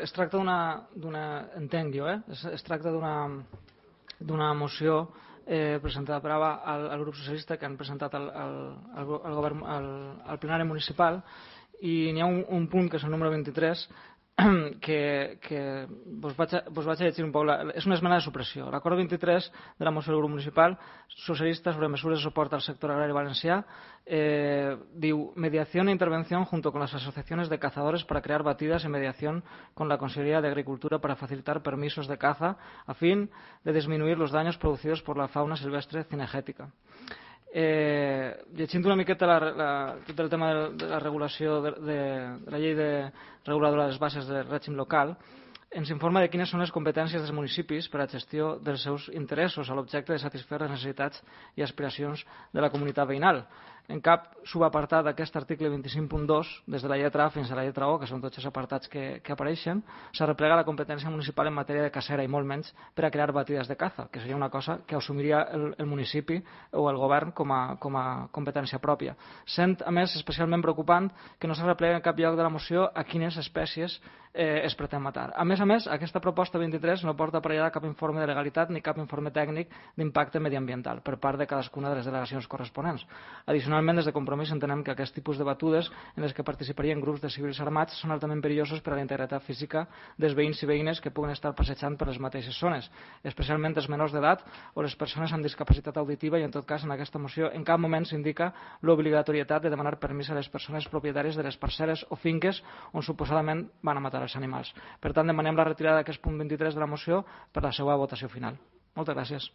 es tracta entenc jo, es tracta d'una moció presentada per AVA al grup socialista que han presentat al plenari municipal, i n'hi ha un punt que és el número 23 que vos vaig a llegir un poc. És una esmena de supressió. L'acord 23 de la moció del grup municipal socialista sobre mesures de suport al sector agrari valencià diu: mediación e intervención junto con las asociaciones de cazadores para crear batidas en mediación con la Consejería de Agricultura para facilitar permisos de caza a fin de disminuir los daños producidos por la fauna silvestre cinegètica. Llegint una miqueta tot el tema de la regulació de la llei reguladora de les bases de règim local, ens informa de quines són les competències dels municipis per a gestió dels seus interessos a l'objecte de satisfer les necessitats i aspiracions de la comunitat veïnal. En cap subapartat d'aquest article 25.2, des de la lletra A fins a la lletra O, que són tots els apartats que apareixen, s'arreplega la competència municipal en matèria de cacera i molt menys per a crear batides de caza, que seria una cosa que assumiria el municipi o el govern com a competència pròpia. Sent, a més, especialment preocupant que no s'arreplega en cap lloc de la moció a quines espècies es pretén matar. A més, aquesta proposta 23 no porta aparellada cap informe de legalitat ni cap informe tècnic d'impacte mediambiental per part de cadascuna de les delegacions corresponents. Addicionalment, des de Compromís entenem que aquest tipus de batudes en les que participarien grups de civils armats són altament perillosos per a la integritat física dels veïns i veïnes que puguen estar passejant per les mateixes zones, especialment els menors d'edat o les persones amb discapacitat auditiva, i en tot cas en aquesta moció en cap moment s'indica l'obligatorietat de demanar permís a les persones propietàries de les parcel·les o finques on suposadament van a matar els animals. Per tant, demanem la retirada d'aquest punt 23 de la moció per la seva votació final. Moltes gràcies.